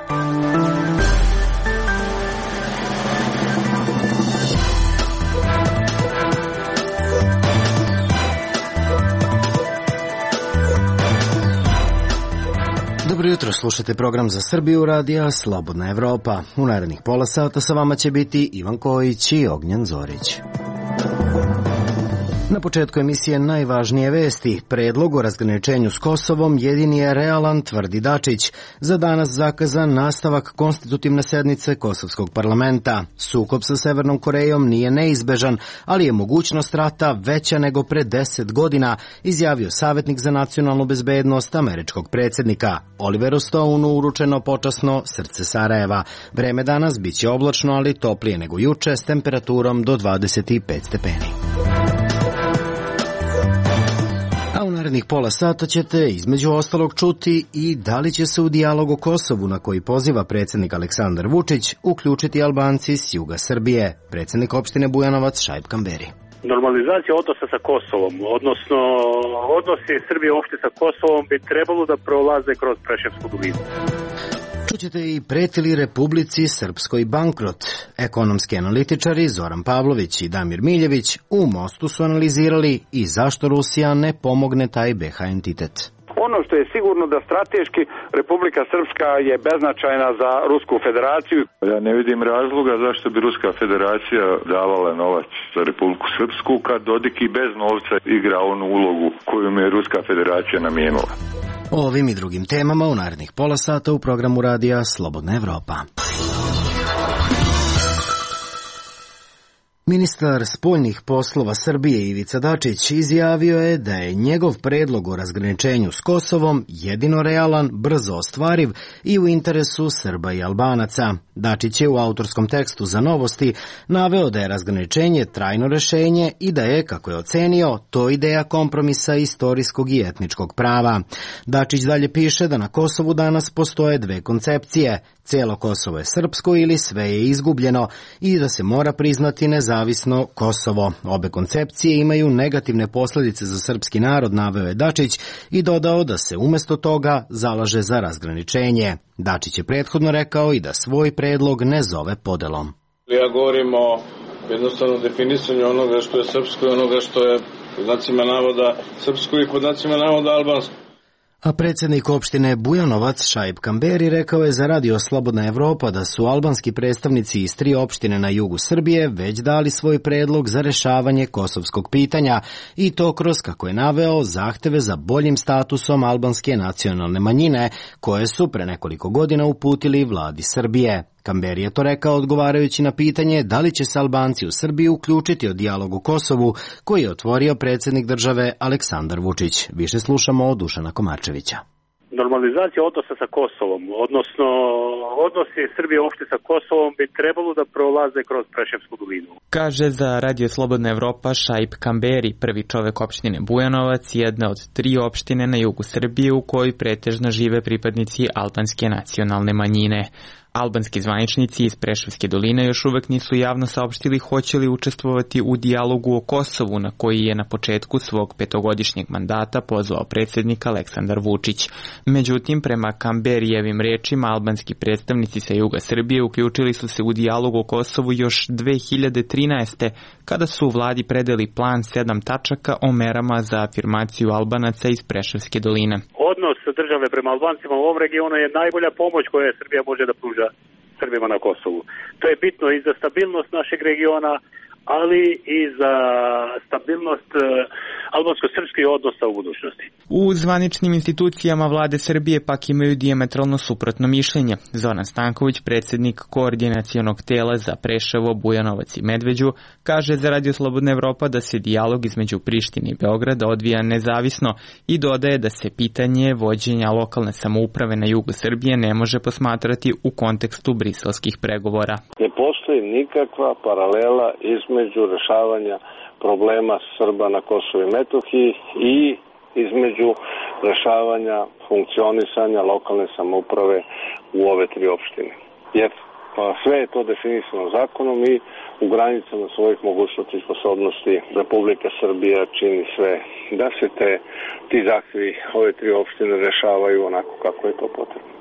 Dobro jutro, slušate program za Srbiju radija Slobodna Evropa. U narednih pola sata sa vama će biti Ivan Kojić i Ognjen Zorić. Na početku emisije najvažnije vesti. Predlog o razgraničenju s Kosovom jedini je realan, tvrdi Dačić. Za danas zakazan nastavak konstitutivne sednice Kosovskog parlamenta. Sukob sa Severnom Korejom nije neizbežan, ali je mogućnost rata veća nego pre 10 godina, izjavio savjetnik za nacionalnu bezbednost američkog predsjednika. Oliveru Stoneu uručeno počasno Srce Sarajeva. Vreme danas biće oblačno, ali toplije nego juče s temperaturom do 25 stepeni. A u narednih pola sata ćete između ostalog čuti i da li će se u dijalog o Kosovu na koji poziva predsjednik Aleksandar Vučić uključiti Albanci s juga Srbije. Predsjednik opštine Bujanovac Šaip Kamberi. Normalizacija odnosa sa Kosovom, odnosno odnosi Srbije uopšte sa Kosovom bi trebalo da prolaze kroz Preševsku dolinu. Čućete i preti li Republici Srpskoj bankrot. Ekonomski analitičari Zoran Pavlović i Damir Miljević u Mostu su analizirali i zašto Rusija ne pomogne taj BiH entitet. Ono što je sigurno da strateški Republika Srpska je beznačajna za Rusku federaciju. Ja ne vidim razloga zašto bi Ruska federacija davala novac za Republiku Srpsku kad Dodik i bez novca igra onu ulogu koju mu je Ruska federacija namijenila. O ovim i drugim temama u narednih pola sata u programu radija Slobodna Evropa. Ministar spoljnih poslova Srbije Ivica Dačić izjavio je da je njegov predlog o razgraničenju s Kosovom jedino realan, brzo ostvariv i u interesu Srba i Albanaca. Dačić je u autorskom tekstu za Novosti naveo da je razgraničenje trajno rešenje i da je, kako je ocenio, to ideja kompromisa istorijskog i etničkog prava. Dačić dalje piše da na Kosovu danas postoje dve koncepcije. Cijelo Kosovo je srpsko ili sve je izgubljeno i da se mora priznati nezavisno Kosovo. Obe koncepcije imaju negativne posljedice za srpski narod, naveo je Dačić i dodao da se umjesto toga zalaže za razgraničenje. Dačić je prethodno rekao i da svoj predlog ne zove podelom. Ja govorim o jednostavno definisanju onoga što je srpsko i onoga što je pod znacima navoda srpsko i pod znacima navoda albansko. A predsjednik opštine Bujanovac Šaip Kamberi rekao je za radio Slobodna Evropa da su albanski predstavnici iz 3 opštine na jugu Srbije već dali svoj predlog za rešavanje kosovskog pitanja i to kroz, kako je naveo, zahteve za boljim statusom albanske nacionalne manjine koje su pre nekoliko godina uputili vladi Srbije. Kamberi je to rekao odgovarajući na pitanje da li će se Albanci u Srbiji uključiti o dijalogu o Kosovu koji je otvorio predsjednik države Aleksandar Vučić. Više slušamo od Dušana Komarčevića. Normalizacija odnosa sa Kosovom, odnosno odnosi Srbije uopšte sa Kosovom bi trebalo da prolaze kroz Preševsku dolinu. Kaže za Radio Slobodna Evropa Šaip Kamberi, prvi čovek opštine Bujanovac, jedna od 3 opštine na jugu Srbije u kojoj pretežno žive pripadnici albanske nacionalne manjine. Albanski zvaničnici iz Preševske doline još uvek nisu javno saopštili hoće li učestvovati u dijalogu o Kosovu na koji je na početku svog 5-godišnjeg mandata pozvao predsjednik Aleksandar Vučić. Međutim, prema Kamberijevim rečima, albanski predstavnici sa juga Srbije uključili su se u dijalog o Kosovu još 2013. kada su u vladi predali plan 7 tačaka o merama za afirmaciju Albanaca iz Preševske doline. Odnos države prema Albancima u ovom regionu je najbolja pomoć koju Srbija može da pruža Srbima na Kosovu. To je bitno i za stabilnost našeg regiona, ali i za stabilnost albansko-srpskih odnosa u budućnosti. U zvaničnim institucijama vlade Srbije pak imaju dijametralno suprotno mišljenje. Zoran Stanković, predsjednik koordinacionog tela za Preševo, Bujanovac i Medveđu, kaže za Radio Slobodna Evropa da se dijalog između Prištine i Beograda odvija nezavisno i dodaje da se pitanje vođenja lokalne samouprave na jugu Srbije ne može posmatrati u kontekstu briselskih pregovora. Ne postoji nikakva paralela između rešavanja problema Srba na Kosovu i Metohiji i između rešavanja funkcionisanja lokalne samouprave u ove 3 opštine. Jer sve je to definisano zakonom i u granicama svojih mogućnosti i sposobnosti Republika Srbija čini sve da se ti zahtevi ove 3 opštine rešavaju onako kako je to potrebno.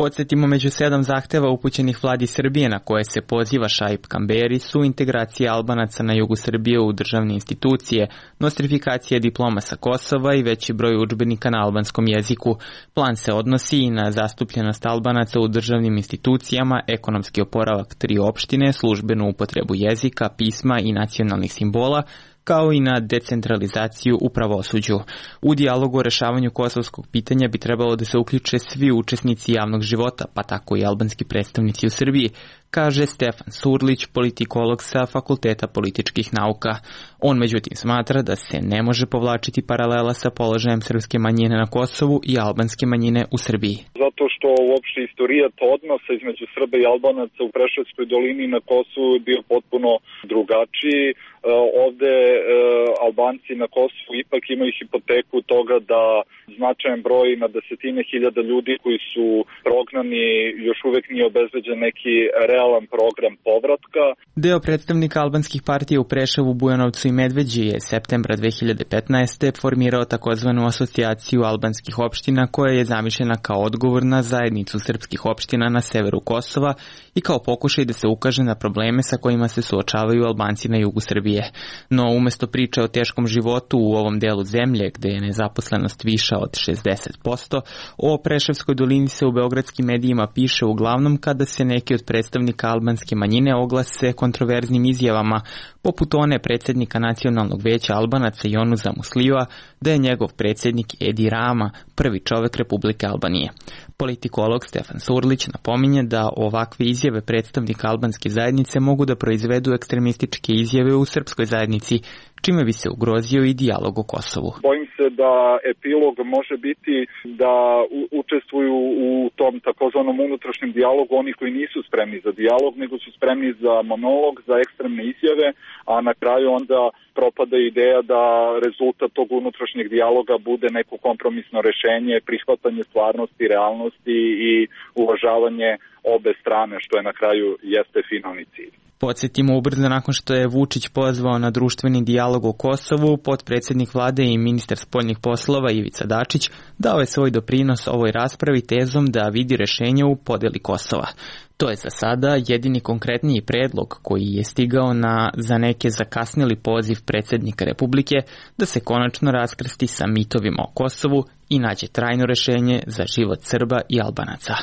Podsjetimo, među 7 zahteva upućenih vladi Srbije na koje se poziva Šaip Kamberi su integracija Albanaca na jugu Srbije u državne institucije, nostrifikacija diploma sa Kosova i veći broj udžbenika na albanskom jeziku. Plan se odnosi i na zastupljenost Albanaca u državnim institucijama, ekonomski oporavak 3 opštine, službenu upotrebu jezika, pisma i nacionalnih simbola, kao i na decentralizaciju u pravosuđu. U dijalogu o rešavanju kosovskog pitanja bi trebalo da se uključe svi učesnici javnog života, pa tako i albanski predstavnici u Srbiji, kaže Stefan Surlić, politikolog sa Fakulteta političkih nauka. On međutim smatra da se ne može povlačiti paralela sa položajem srpske manjine na Kosovu i albanske manjine u Srbiji. Zato što uopšte istorijat odnosa između Srba i Albanaca u Preševskoj dolini na Kosovu je bio potpuno drugačiji. Ovde Albanci na Kosovu ipak imaju hipoteku toga da značajan broj na desetine hiljada ljudi koji su prognani još uvek nije obezbeđen neki realan program povratka. Deo predstavnika albanskih partija u Preševu, Bujanovcu i Medveđi je septembra 2015. formirao takozvanu asocijaciju albanskih opština koja je zamišljena kao odgovor na zajednicu srpskih opština na severu Kosova i kao pokušaj da se ukaže na probleme sa kojima se suočavaju Albanci na jugu Srbije. No, umesto priče o teškom životu u ovom delu zemlje, gde je nezaposlenost viša od 60%, o Preševskoj dolini se u beogradskim medijima piše uglavnom kada se neki od predstavnika albanske manjine oglase kontroverznim izjavama, poput one predsjednika Nacionalnog veća Albanaca Jonuza Musliva, da je njegov predsjednik Edi Rama prvi čovek Republike Albanije. Politikolog Stefan Surlić napominje da ovakve izjave predstavnika albanske zajednice mogu da proizvedu ekstremističke izjave u srpskoj zajednici, čime bi se ugrozio i dijalog o Kosovu. Bojim se da epilog može biti da učestvuju u tom takozvanom unutrašnjem dijalogu oni koji nisu spremni za dijalog, nego su spremni za monolog, za ekstremne izjave, a na kraju onda propada ideja da rezultat tog unutrašnjeg dijaloga bude neko kompromisno rešenje, prihvatanje stvarnosti, realnosti i uvažavanje obe strane, što je na kraju jeste finalni cilj. Podsjetimo, ubrzo nakon što je Vučić pozvao na društveni dijalog o Kosovu, potpredsjednik vlade i ministar spoljnih poslova Ivica Dačić dao je svoj doprinos ovoj raspravi tezom da vidi rešenje u podeli Kosova. To je za sada jedini konkretniji predlog koji je stigao na za neke zakasnili poziv predsjednika Republike da se konačno raskrsti sa mitovima o Kosovu i nađe trajno rešenje za život Srba i Albanaca.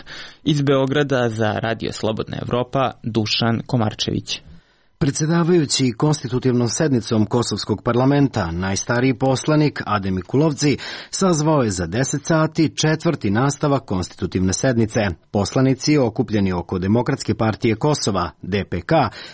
Iz Beograda za Radio Slobodna Evropa, Dušan Komarčević. Predsjedavajući konstitutivnom sednicom Kosovskog parlamenta, najstariji poslanik Adem Mikulovci sazvao je za 10 sati četvrti nastavak konstitutivne sednice. Poslanici okupljeni oko Demokratske partije Kosova, DPK,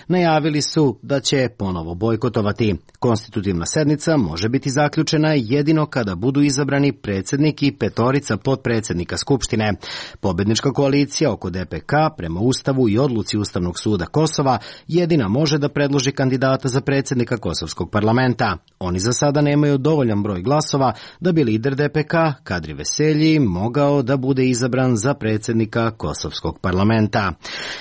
najavili su da će ponovo bojkotovati. Konstitutivna sednica može biti zaključena jedino kada budu izabrani predsjednik i 5 potpredsjednika Skupštine. Pobednička koalicija oko DPK prema Ustavu i odluci Ustavnog suda Kosova jedina može da predloži kandidata za predsjednika Kosovskog parlamenta. Oni za sada nemaju dovoljan broj glasova da bi lider DPK, Kadri Veselji, mogao da bude izabran za predsjednika Kosovskog parlamenta.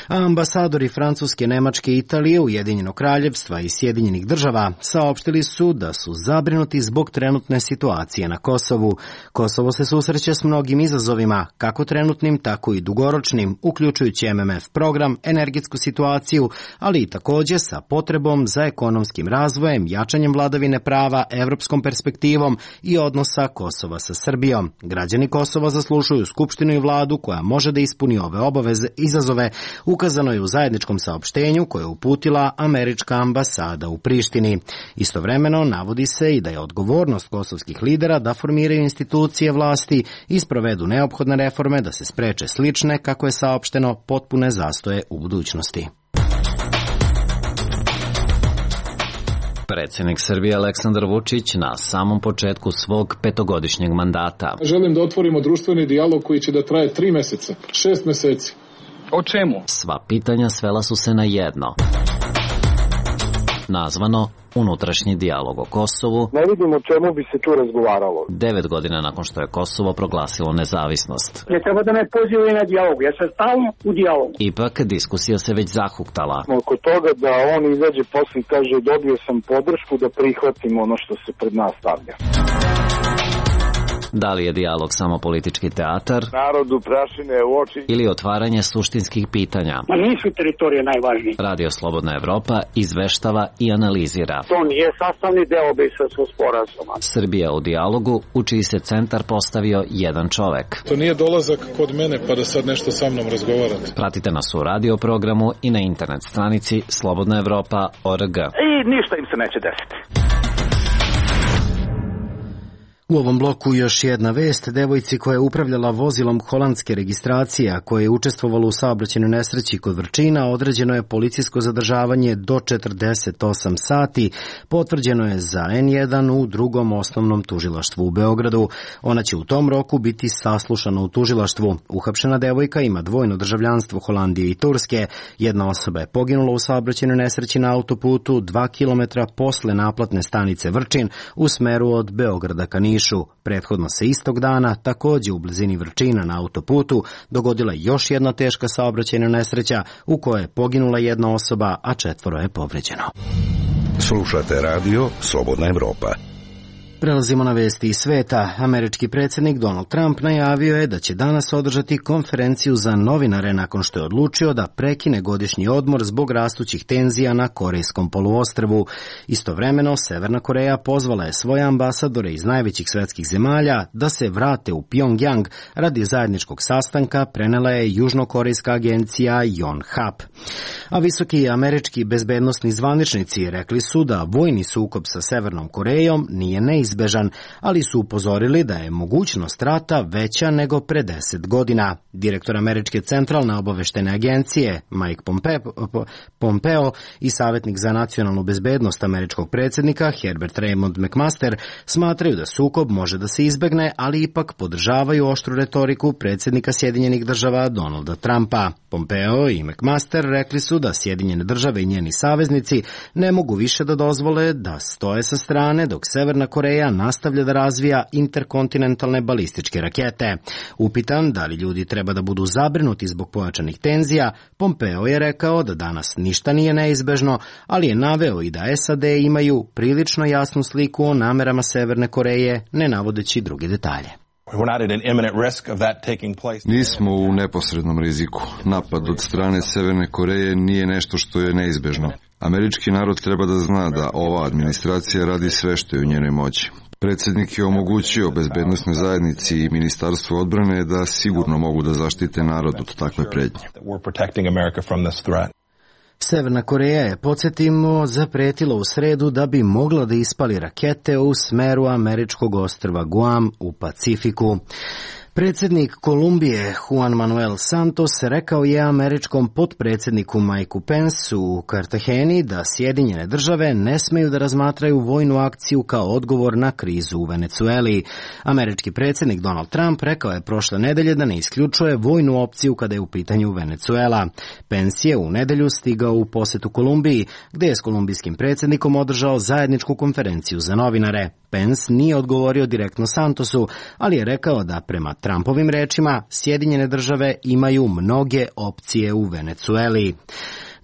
Ambasadori Francuske, Nemačke, Italije, Ujedinjenog kraljevstva i Sjedinjenih država saopštili su da su zabrinuti zbog trenutne situacije na Kosovu. Kosovo se susreće s mnogim izazovima, kako trenutnim, tako i dugoročnim, uključujući MMF program, energetsku situaciju, ali i također sa potrebom za ekonomskim razvojem, jačanjem vladavine prava, evropskom perspektivom i odnosa Kosova sa Srbijom. Građani Kosova zaslužuju skupštinu i vladu koja može da ispuni ove obaveze izazove, ukazano je u zajedničkom saopštenju koje je uputila američka ambasada u Prištini. Istovremeno navodi se i da je odgovornost kosovskih lidera da formiraju institucije vlasti i sprovedu neophodne reforme da se spreče slične, kako je saopšteno, potpune zastoje u budućnosti. Predsjednik Srbije Aleksandar Vučić na samom početku svog 5-godišnjeg mandata. Želim da otvorimo društveni dijalog koji će da traje 3 meseca, 6 meseci. O čemu? Sva pitanja svela su se na jedno. Nazvano unutrašnji dijalog o Kosovu. Ne vidim o čemu bi se tu razgovaralo. 9 godina nakon što je Kosovo proglasilo nezavisnost. Ne treba da me pozivaju na dijalog, ja sam stalno u dijalogu. Ipak diskusija se već zahuktala. Oko toga da on izađe posle i kaže dobio sam podršku da prihvatim ono što se pred nas stavlja. Da li je dijalog samo politički teatar? Narodu prašine u oči. Ili otvaranje suštinskih pitanja? Ma nisu teritorije najvažnije. Radio Slobodna Evropa izveštava i analizira. To nije sastavni deo Briselskog sporazuma. Srbija u dijalogu, u čiji se centar postavio jedan čovek. To nije dolazak kod mene pa da sad nešto sa mnom razgovarate. Pratite nas u radio programu i na internet stranici slobodnaevropa.org. I ništa im se neće desiti. U ovom bloku još jedna vest. Devojci koja je upravljala vozilom holandske registracije, a koja je učestvovala u saobraćajnoj nesreći kod Vrčina, određeno je policijsko zadržavanje do 48 sati. Potvrđeno je za N1 u drugom osnovnom tužilaštvu u Beogradu. Ona će u tom roku biti saslušana u tužilaštvu. Uhapšena devojka ima dvojno državljanstvo Holandije i Turske. Jedna osoba je poginula u saobraćajnoj nesreći na autoputu 2 km posle naplatne stanice Vrčin u smeru od Beograda ka Nišu. Prethodno se istog dana, takođe u blizini Vrčina na autoputu, dogodila još jedna teška saobraćajna nesreća u kojoj je poginula jedna osoba, a 4 je povređeno. Slušate radio Slobodna Evropa. Prelazimo na vesti iz sveta. Američki predsjednik Donald Trump najavio je da će danas održati konferenciju za novinare nakon što je odlučio da prekine godišnji odmor zbog rastućih tenzija na Korejskom poluostrvu. Istovremeno, Severna Koreja pozvala je svoje ambasadore iz najvećih svetskih zemalja da se vrate u Pyongyang radi zajedničkog sastanka, prenela je južnokorejska agencija Yonhap. A visoki američki bezbednosni zvaničnici rekli su da vojni sukob sa Severnom Korejom nije neizbežan, ali su upozorili da je mogućnost rata veća nego pre 10 godina. Direktor američke centralne obaveštene agencije Mike Pompeo i savjetnik za nacionalnu bezbednost američkog predsjednika Herbert Raymond McMaster smatraju da sukob može da se izbegne, ali ipak podržavaju oštru retoriku predsjednika Sjedinjenih država Donalda Trumpa. Pompeo i McMaster rekli su da Sjedinjene države i njeni saveznici ne mogu više da dozvole da stoje sa strane dok Severna Koreja nastavlja da razvija interkontinentalne balističke rakete. Upitan da li ljudi treba da budu zabrinuti zbog pojačanih tenzija, Pompeo je rekao da danas ništa nije neizbežno, ali je naveo i da SAD imaju prilično jasnu sliku o namerama Severne Koreje, ne navodeći druge detalje. Nismo u neposrednom riziku. Napad od strane Severne Koreje nije nešto što je neizbežno. Američki narod treba da zna da ova administracija radi sve što je u njenoj moći. Predsjednik je omogućio bezbednosnoj zajednici i Ministarstvu odbrane da sigurno mogu da zaštite narod od takve pretnje. Severna Koreja je, podsjetimo, zapretila u sredu da bi mogla da ispali rakete u smeru američkog ostrva Guam u Pacifiku. Predsjednik Kolumbije Juan Manuel Santos rekao je američkom potpredsjedniku Mikeu Pensu u Kartageni da Sjedinjene države ne smeju da razmatraju vojnu akciju kao odgovor na krizu u Venecueli. Američki predsjednik Donald Trump rekao je prošle nedelje da ne isključuje vojnu opciju kada je u pitanju Venecuela. Pence je u nedelju stigao u posetu Kolumbiji, gde je s kolumbijskim predsjednikom održao zajedničku konferenciju za novinare. Pence nije odgovorio direktno Santosu, ali je rekao da prema Trumpovim rečima Sjedinjene države imaju mnoge opcije u Venecueli.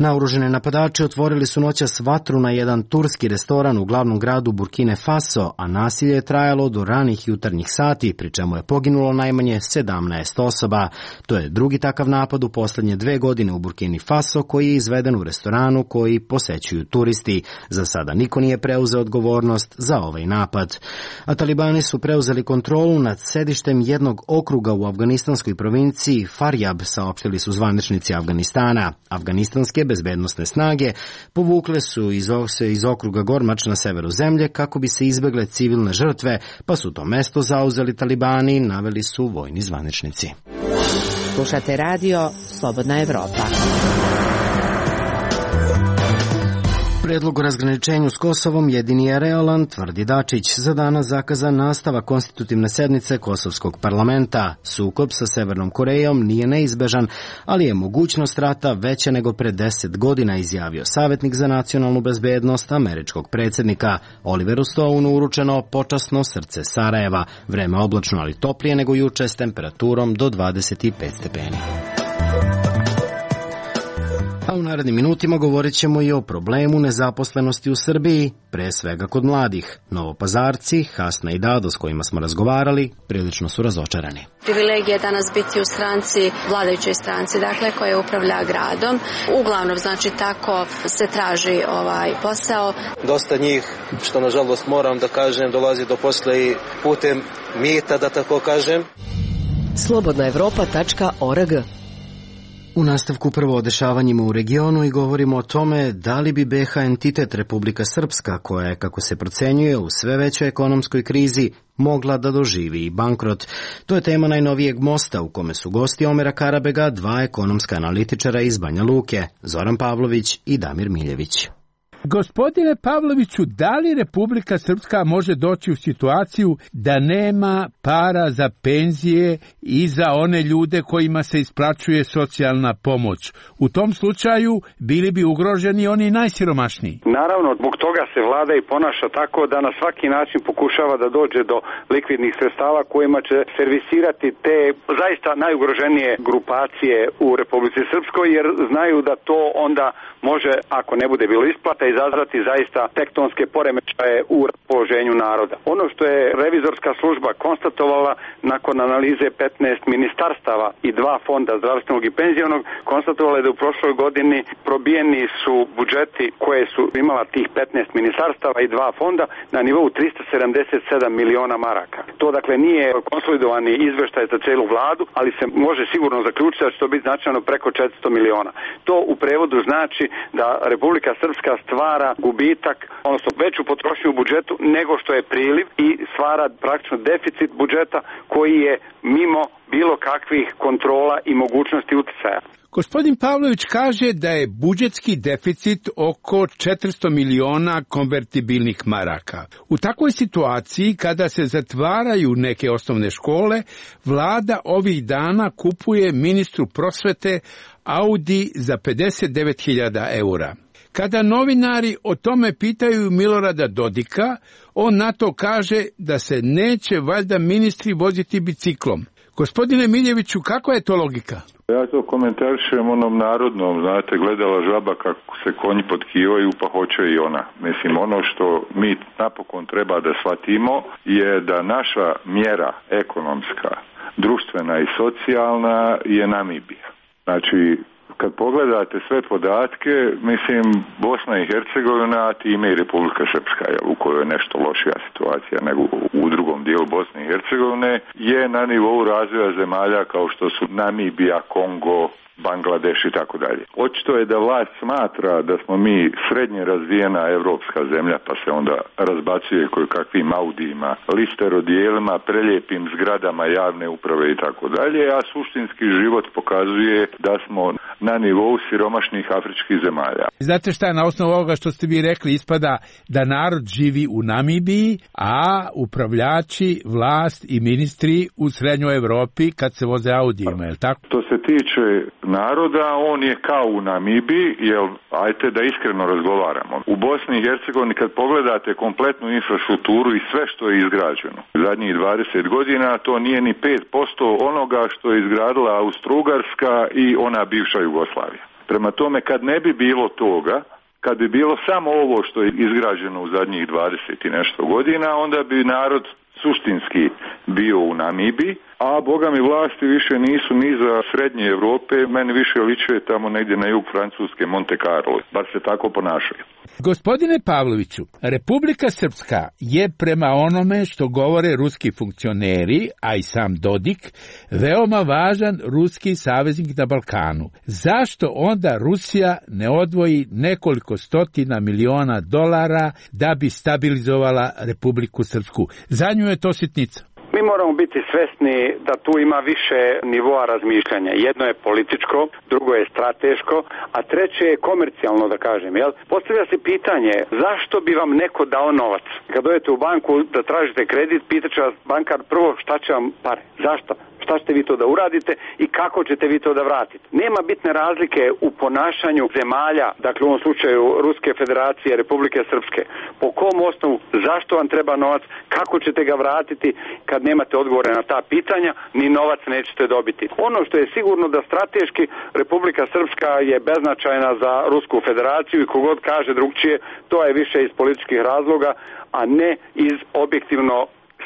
Naoružene napadači otvorili su noćas vatru na jedan turski restoran u glavnom gradu Burkine Faso, a nasilje je trajalo do ranih jutarnjih sati, pri čemu je poginulo najmanje 17 osoba. To je drugi takav napad u poslednje 2 godine u Burkini Faso koji je izveden u restoranu koji posećuju turisti. Za sada niko nije preuzeo odgovornost za ovaj napad. A talibani su preuzeli kontrolu nad sedištem jednog okruga u afganistanskoj provinciji Faryab, saopštili su zvaničnici Afganistana. Afganistanske bezbednosne snage povukle su iz okruga Gormač na severu zemlje kako bi se izbegle civilne žrtve, pa su to mesto zauzeli talibani, naveli su vojni zvaničnici. Slušate radio Slobodna Evropa. Predlog o razgraničenju s Kosovom jedini je realan, tvrdi Dačić. Za danas zakazan nastavak konstitutivne sednice Kosovskog parlamenta. Sukob sa Severnom Korejom nije neizbežan, ali je mogućnost rata veća nego pre 10 godina, izjavio savjetnik za nacionalnu bezbednost američkog predsjednika. Oliveru Stonu uručeno počasno srce Sarajeva. Vreme oblačno, ali toplije nego juče s temperaturom do 25 stepeni. A u narednim minutima govorit ćemo i o problemu nezaposlenosti u Srbiji, pre svega kod mladih. Novopazarci, Hasna i Dado s kojima smo razgovarali, prilično su razočarani. Privilegija je danas biti u stranci, vladajućoj stranci, dakle, koja upravlja gradom. Uglavnom, znači, tako se traži posao. Dosta njih, što nažalost moram da kažem, dolazi do posla i putem mita, da tako kažem. Slobodnaevropa.org. U nastavku prvo o dešavanjima u regionu i govorimo o tome da li bi BiH entitet Republika Srpska, koja je, kako se procenjuje, u sve većoj ekonomskoj krizi, mogla da doživi i bankrot. To je tema najnovijeg mosta u kome su gosti Omera Karabega, dva ekonomska analitičara iz Banja Luke, Zoran Pavlović i Damir Miljević. Gospodine Pavloviću, da li Republika Srpska može doći u situaciju da nema para za penzije i za one ljude kojima se isplaćuje socijalna pomoć? U tom slučaju bili bi ugroženi oni najsiromašniji. Naravno, zbog toga se vlada i ponaša tako da na svaki način pokušava da dođe do likvidnih sredstava kojima će servisirati te zaista najugroženije grupacije u Republici Srpskoj, jer znaju da to onda može, ako ne bude bilo isplata, izazvati zaista tektonske poremećaje u raspoloženju naroda. Ono što je revizorska služba konstatovala nakon analize 15 ministarstava i 2 fonda zdravstvenog i penzionog, konstatovala je da u prošloj godini probijeni su budžeti koje su imala tih 15 ministarstava i 2 fonda na nivou 377 miliona maraka. To dakle nije konsolidovani izveštaj za celu vladu, ali se može sigurno zaključiti da će to biti značajno preko 400 miliona. To u prevodu znači da Republika Srpska stvara gubitak, odnosno veću potrošnju u budžetu nego što je priliv i stvara praktično deficit budžeta koji je mimo bilo kakvih kontrola i mogućnosti uticaja. Gospodin Pavlović kaže da je budžetski deficit oko 400 miliona konvertibilnih maraka. U takvoj situaciji, kada se zatvaraju neke osnovne škole, vlada ovih dana kupuje ministru prosvete Audi za 59.000 eura. Kada novinari o tome pitaju Milorada Dodika, on na to kaže da se neće valjda ministri voziti biciklom. Gospodine Miljeviću, kako je to logika? Ja to komentarišem onom narodnom, znate, gledala žaba kako se konji potkivaju, pa hoće i ona. Mislim, ono što mi napokon treba da shvatimo je da naša mjera ekonomska, društvena i socijalna je Namibija. Znači, kad pogledate sve podatke, mislim, Bosna i Hercegovina, a time i Republika Srpska, u kojoj je nešto lošija situacija nego u drugom dijelu Bosne i Hercegovine, je na nivou razvoja zemalja kao što su Namibija, Kongo, Bangladeš i tako dalje. Očito je da vlast smatra da smo mi srednje razvijena evropska zemlja, pa se onda razbacuje koje kakvim Audijima, listerodijelima, preljepim zgradama javne uprave i tako dalje, a suštinski život pokazuje da smo na nivou siromašnih afričkih zemalja. Znate šta, na osnovu ovoga što ste vi rekli, ispada da narod živi u Namibiji, a upravljači, vlast i ministri u srednjoj Evropi kad se voze Audijima, je li tako? To se tiče naroda, on je kao u Namibiji, jer ajte da iskreno razgovaramo. U Bosni i Hercegovini kad pogledate kompletnu infrastrukturu i sve što je izgrađeno zadnjih 20 godina, to nije ni 5% onoga što je izgradila Austro-Ugarska i ona bivša Jugoslavija. Prema tome, kad ne bi bilo toga, kad bi bilo samo ovo što je izgrađeno u zadnjih 20 i nešto godina, onda bi narod suštinski bio u Namibiji, a boga mi vlasti više nisu ni za srednje Evrope, meni više liče tamo negdje na jug Francuske, Monte Carlo, bar se tako ponašaju. Gospodine Pavloviću, Republika Srpska je prema onome što govore ruski funkcioneri, a i sam Dodik, veoma važan ruski saveznik na Balkanu. Zašto onda Rusija ne odvoji nekoliko stotina miliona dolara da bi stabilizovala Republiku Srpsku? Za nju je to sitnica. Mi moramo biti svesni da tu ima više nivoa razmišljanja. Jedno je političko, drugo je strateško, a treće je komercijalno, da kažem. Jel? Postavlja se pitanje, zašto bi vam neko dao novac? Kad dođete u banku da tražite kredit, pitaće vas bankar prvo šta će vam pare. Zašto? Šta ćete vi to da uradite i kako ćete vi to da vratite? Nema bitne razlike u ponašanju zemalja, dakle u ovom slučaju Ruske federacije, Republike Srpske. Po kom osnovu, zašto vam treba novac, kako ćete ga vratiti kad nemate odgovore na ta pitanja, ni novac nećete dobiti. Ono što je sigurno da strateški Republika Srpska je beznačajna za Rusku federaciju i kogod kaže drugčije, to je više iz političkih razloga, a ne iz objektivno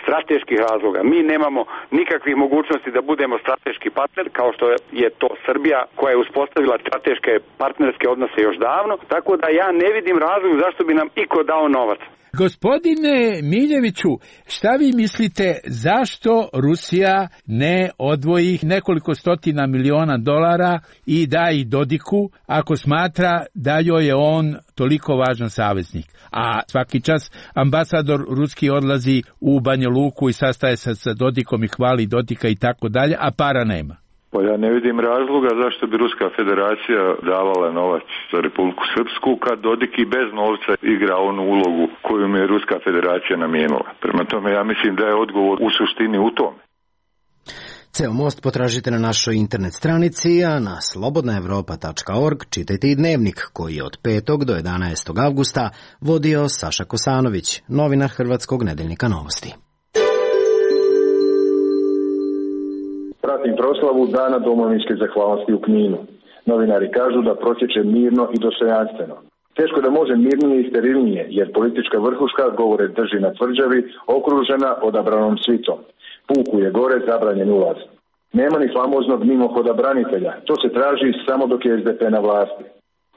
strateških razloga. Mi nemamo nikakvih mogućnosti da budemo strateški partner, kao što je to Srbija koja je uspostavila strateške partnerske odnose još davno, tako da ja ne vidim razlog zašto bi nam iko dao novac. Gospodine Miljeviću, šta vi mislite zašto Rusija ne odvoji nekoliko stotina miliona dolara i da ih Dodiku ako smatra da joj je on toliko važan saveznik? A svaki čas ambasador ruski odlazi u Banja Luku i sastaje se sa Dodikom i hvali Dodika i tako dalje, a para nema. Pa ja ne vidim razloga zašto bi Ruska federacija davala novac za Republiku Srpsku kad Dodik i bez novca igra onu ulogu koju mi je Ruska federacija namijenila. Prema tome ja mislim da je odgovor u suštini u tome. Ceo most potražite na našoj internet stranici, a na slobodnaevropa.org čitajte i dnevnik koji je od 5. do 11. avgusta vodio Saša Kosanović, novinar Hrvatskog nedeljnika Novosti. Pratim proslavu Dana domovinske zahvalnosti u Kninu. Novinari kažu da protječe mirno i dostojanstveno. Teško da može mirnije i sterilnije, jer politička vrhuška govore drži na tvrđavi, okružena odabranom svitom. Puku je gore zabranjen ulaz. Nema ni famoznog mimohoda branitelja, to se traži samo dok je SDP na vlasti.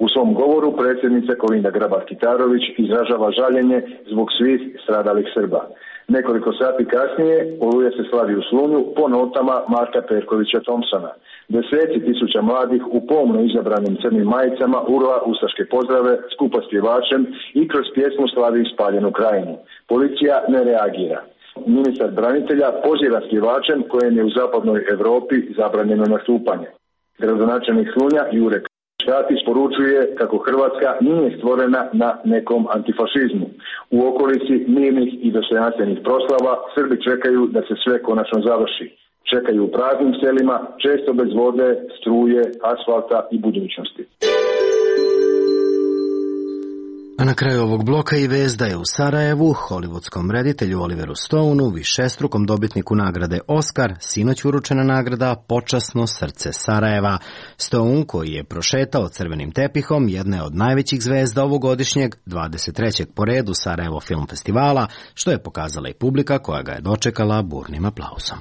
U svom govoru predsjednica Kolinda Grabar-Kitarović izražava žaljenje zbog svih stradalih Srba. Nekoliko sati kasnije Oluja se slavi u Slunju po notama Marka Perkovića Thompsona. Deseci tisuća mladih u pomno izabranim crnim majicama urla ustaške pozdrave skupa s pjevačem i kroz pjesmu slavi spaljenu krajinu. Policija ne reagira. Ministar branitelja poziva s pjevačem kojem je u zapadnoj Europi zabranjeno nastupanje. Gradonačelnik Slunja Jure Škatić poručuje kako Hrvatska nije stvorena na nekom antifašizmu. U okolici mirnih i dostojanstvenih proslava Srbi čekaju da se sve konačno završi. Čekaju u praznim selima, često bez vode, struje, asfalta i budućnosti. A na kraju ovog bloka i vest da je u Sarajevu hollywoodskom reditelju Oliveru Stoneu, višestrukom dobitniku nagrade Oscar, sinoć uručena nagrada Počasno srce Sarajeva. Stone, koji je prošetao crvenim tepihom, jedna je od najvećih zvezda ovogodišnjeg 23. po redu Sarajevo Film Festivala, što je pokazala i publika koja ga je dočekala burnim aplauzom.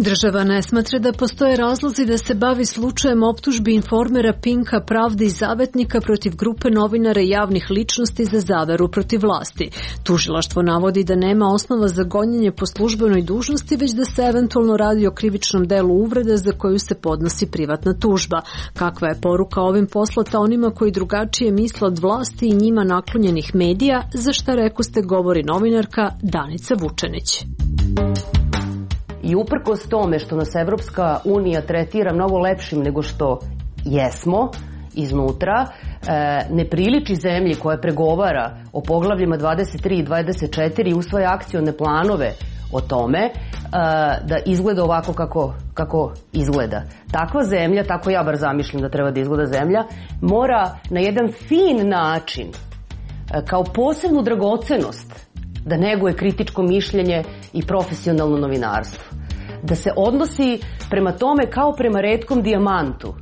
Država ne smatra da postoje razlozi da se bavi slučajem optužbi informera Pinka, Pravde i Zavetnika protiv grupe novinara i javnih ličnosti za zaveru protiv vlasti. Tužilaštvo navodi da nema osnova za gonjenje po službenoj dužnosti, već da se eventualno radi o krivičnom delu uvrede za koju se podnosi privatna tužba. Kakva je poruka ovim poslata onima koji drugačije misle od vlasti i njima naklonjenih medija, za šta rekoste govori novinarka Danica Vučenić. I uprkos tome što nas Evropska unija tretira mnogo lepšim nego što jesmo iznutra, ne priliči zemlji koja pregovara o poglavljima 23 i 24 i usvaja akcione planove o tome da izgleda ovako kako izgleda. Takva zemlja, tako ja bar zamišljam da treba da izgleda zemlja, mora na jedan fin način, kao posebnu dragocenost, da neguje kritičko mišljenje i profesionalno novinarstvo. Da se odnosi prema tome kao prema retkom dijamantu,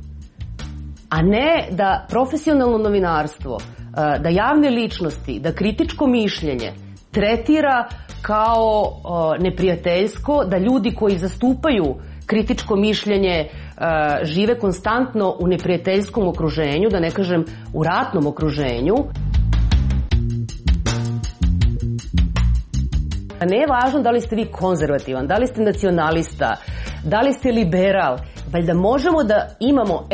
a ne da profesionalno novinarstvo, da javne ličnosti, da kritičko mišljenje tretira kao neprijateljsko, da ljudi koji zastupaju kritičko mišljenje žive konstantno u neprijateljskom okruženju, da ne kažem u ratnom okruženju. Ne je važno da li ste vi konzervativan, da li ste nacionalista, da li ste liberal, valjda možemo da imamo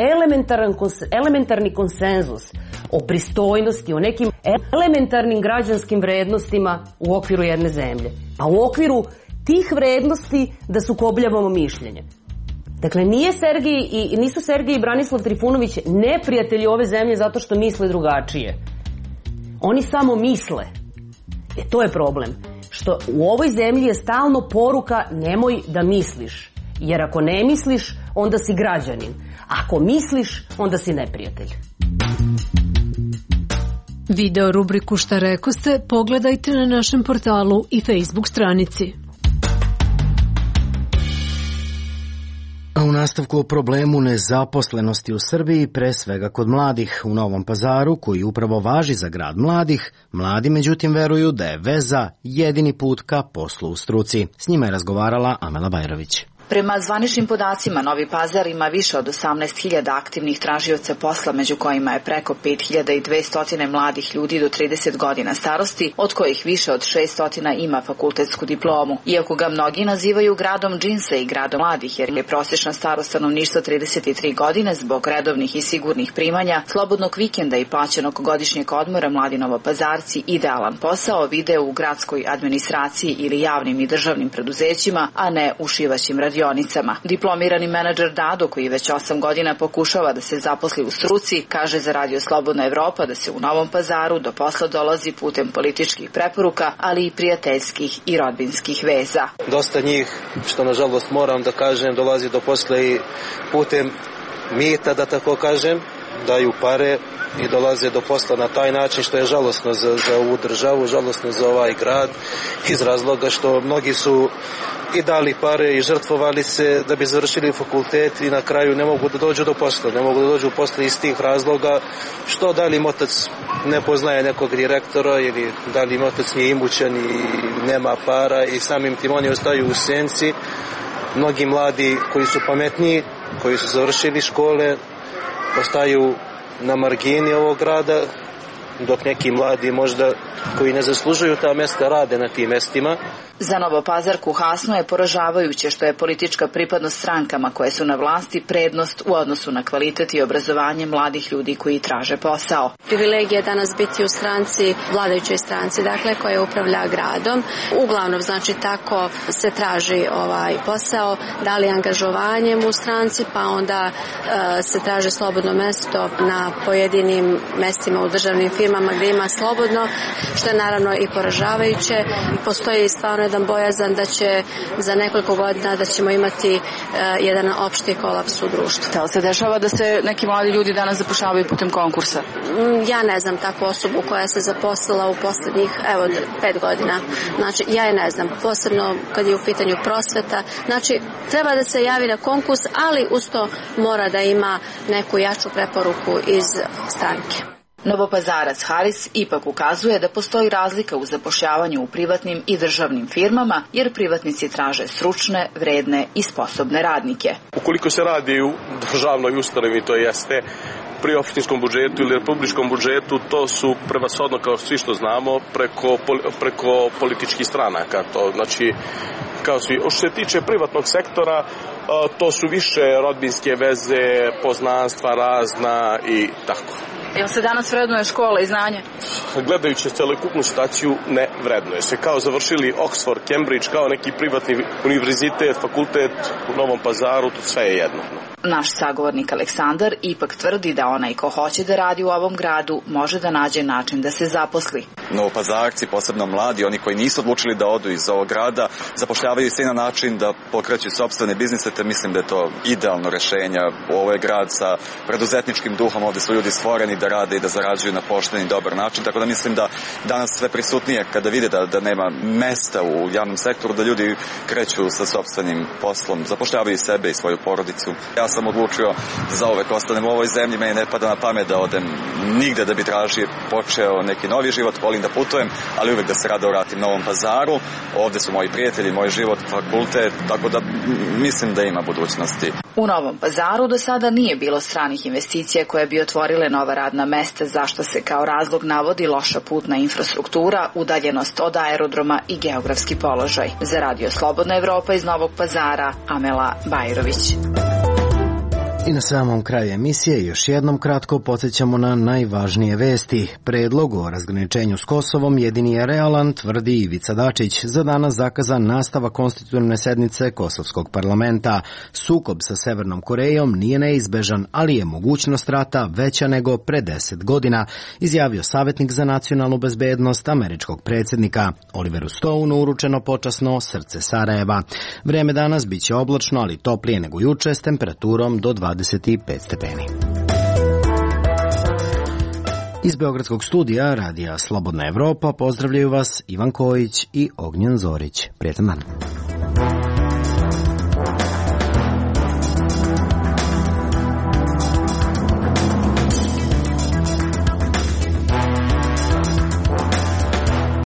elementarni konsenzus o pristojnosti, o nekim elementarnim građanskim vrednostima u okviru jedne zemlje. A u okviru tih vrednosti da sukobljavamo mišljenje. Dakle, nisu Sergej i Branislav Trifunović neprijatelji ove zemlje zato što misle drugačije. Oni samo misle. To je problem. Što u ovoj zemlji je stalno poruka nemoj da misliš. Jer ako ne misliš, onda si građanin. Ako misliš, onda si neprijatelj. Video rubriku Šta rekoste pogledajte na našem portalu i Facebook stranici. A u nastavku o problemu nezaposlenosti u Srbiji, pre svega kod mladih. U Novom Pazaru, koji upravo važi za grad mladih, mladi međutim veruju da je veza jedini put ka poslu u struci. S njima je razgovarala Amela Bajrović. Prema zvaničnim podacima, Novi Pazar ima više od 18.000 aktivnih tražioca posla, među kojima je preko 5.200 mladih ljudi do 30 godina starosti, od kojih više od 600 ima fakultetsku diplomu. Iako ga mnogi nazivaju gradom džinsa i gradom mladih, jer je prosječna starost stanovništva 33 godine, zbog redovnih i sigurnih primanja, slobodnog vikenda i plaćenog godišnjeg odmora, mladi Novopazarci idealan posao vide u gradskoj administraciji ili javnim i državnim preduzećima, a ne u šivaćim radionicama. Diplomirani menadžer Dado, koji već 8 godina pokušava da se zaposli u struci, kaže za Radio Slobodna Evropa da se u Novom Pazaru do posla dolazi putem političkih preporuka, ali i prijateljskih i rodbinskih veza. Dosta njih, što nažalost moram da kažem, dolazi do posla i putem mita, da tako kažem, daju pare i dolaze do posla na taj način, što je žalosno za ovu državu, žalosno za ovaj grad, iz razloga što mnogi su i dali pare i žrtvovali se da bi završili fakultet i na kraju ne mogu da dođu do posla, ne mogu da dođu u posla iz tih razloga, što da li im otac ne poznaje nekog direktora ili da li im otac nije imućan i nema para i samim tim oni ostaju u senci. Mnogi mladi koji su pametniji, koji su završili škole, ostaju na margini ovog grada, dok neki mladi možda koji ne zaslužuju ta mesta rade na tim mestima. Za Novopazarku Hasno je poražavajuće što je politička pripadnost strankama koje su na vlasti prednost u odnosu na kvalitet i obrazovanje mladih ljudi koji traže posao. Privilegija je danas biti u stranci, vladajućoj stranci, dakle, koja upravlja gradom. Uglavnom, znači, tako se traži posao, da li angažovanjem u stranci, pa onda se traži slobodno mesto na pojedinim mestima u državnim firmama gdje ima slobodno, što je naravno i poražavajuće. Postoji stvarno jedan bojazan da će za nekoliko godina da ćemo imati jedan opšti kolaps u društvu. Da li se dešava da se neki mladi ljudi danas zapošljavaju putem konkursa? Ja ne znam takvu osobu koja se zaposlila u poslednjih 5 godina. Znači, ja je ne znam, posebno kad je u pitanju prosveta. Znači, treba da se javi na konkurs, ali uz to mora da ima neku jaču preporuku iz stranke. Novopazarac Haris ipak ukazuje da postoji razlika u zapošljavanju u privatnim i državnim firmama, jer privatnici traže stručne, vredne i sposobne radnike. Ukoliko se radi u državnoj ustanovi, to jeste pri opštinskom budžetu ili republičkom budžetu, to su prevashodno, kao svi što znamo, preko političkih stranaka. To znači, kao svi. Što se tiče privatnog sektora, to su više rodbinske veze, poznanstva razna i tako. Jel se danas vrednuje škola i znanje? Gledajući celokupnu situaciju, ne vrednuje se. Kao završili Oxford, Cambridge, kao neki privatni univerzitet, fakultet u Novom Pazaru, to sve je jedno. Naš sagovornik Aleksandar ipak tvrdi da onaj ko hoće da radi u ovom gradu može da nađe način da se zaposli. Novopazarci, posebno mladi, oni koji nisu odlučili da odu iz ovog grada, zapošljavaju se na način da pokreću sopstvene biznise, te mislim da je to idealno rešenje. Ovo je grad sa preduzetničkim duhom, ovde su ljudi stvoreni da rade i da zarađuju na pošten i dobar način, tako da mislim da danas sve prisutnije kada vide da nema mesta u javnom sektoru, da ljudi kreću sa sopstvenim poslom, zapošljavaju sebe i svoju porodicu. Ja sam odlučio da zauvek ostanem u ovoj zemlji, meni ne pada na pamet da odem nigde da bi počeo neki novi život, volim da putujem, ali uvek da se rado vratim Novom Pazaru. Ovde su moji prijatelji, moj život, fakultet, tako da mislim da ima budućnosti. U Novom Pazaru do sada nije bilo stranih investicija koje bi otvorile nova radna mesta, zašto se kao razlog navodi loša putna infrastruktura, udaljenost od aerodroma i geografski položaj. Za Radio Slobodna Evropa iz Novog Pazara, Amela Bajrović. I na samom kraju emisije još jednom kratko podsjećamo na najvažnije vesti. Predlog o razgraničenju s Kosovom jedini je realan, tvrdi Ivica Dačić. Za danas zakazan nastavak konstitutivne sednice Kosovskog parlamenta. Sukob sa Severnom Korejom nije neizbežan, ali je mogućnost rata veća nego pre 10 godina, izjavio savjetnik za nacionalnu bezbednost američkog predsjednika. Oliveru Stoneu uručeno počasno srce Sarajeva. Vreme danas biće oblačno, ali toplije nego juče s temperaturom do 25 stepeni. Iz Beogradskog studija Radija Slobodna Evropa pozdravljaju vas Ivan Kojić i Ognjen Zorić. Prijetan dan.